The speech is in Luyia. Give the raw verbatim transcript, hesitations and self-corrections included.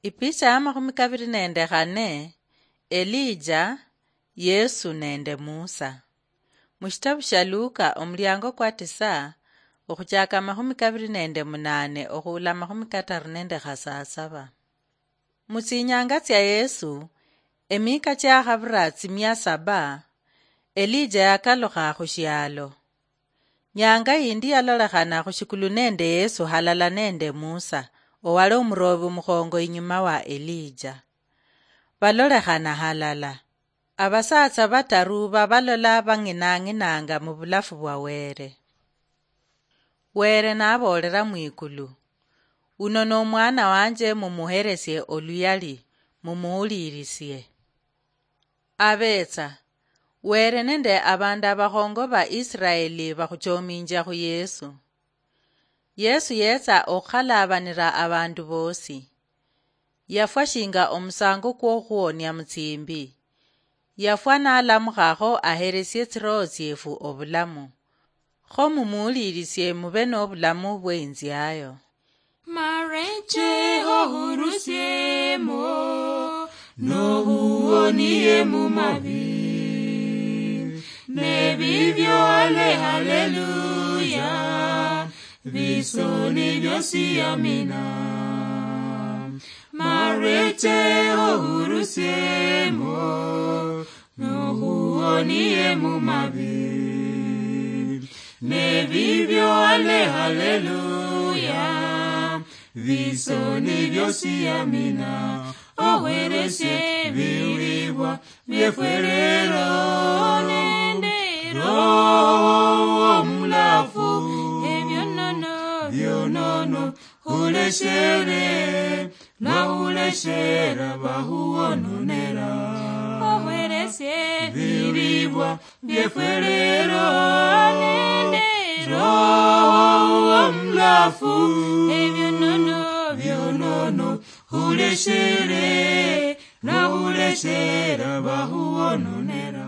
Ipicha ya makhumi kaviri nende khane. Elija, Yesu nende Musa. Mushitabu shia Luka omuliango kwa tisa, okhuchaka amakhumi kaviri nende munane okhuula amakhumi kataru nende khasasaba. Mutsinyanga tsia Yesu, emika chiakhavira tsimia saba, Elija yakalukha khushialo. Nyanga yindi yalolekhana khushikulu nende Yesu halala nende Musa, owali omurobi omukhongo inyuma wa Elija. Balolekhana halala. Abasatsa bataru babalola bang'inang'inanga mubulafu bwa Were. Were naboolera mwikulu, "Uno nomwana wanje, mumuheresie oluyali, mumuwulirisie." Abetsa, Were nende abandu abakhongo ba Israeli bakhuchominjia khu Yesu. Yesu yetsa okhukhalaabanira abandu boosi. Yafwa shinga omusango kwokhuwonia mutsimbi. Yafwa nalamukha kho aheresie tsiroho tsiefu obulamu. Kho mumuwulirisie mube nobulamu bweinziayo. Mareche ohurusiemo, nohuonie mumabi. Nebibyo ale haleluya, bisoni byosi amina. Mareche ohurusiemo, nohuonie mumabi. Nebibyo ale haleluya, bisoni byosi amina. Oweresie biwibwa byefwerero nende Roho omulafu, ebyonono byonono huleshere, nahuleshera bahuwononera. Oweresie biribwa byefwerero nende Roho omulafu, ebyonono byonono huleshere, nahuleshera bahuwononera.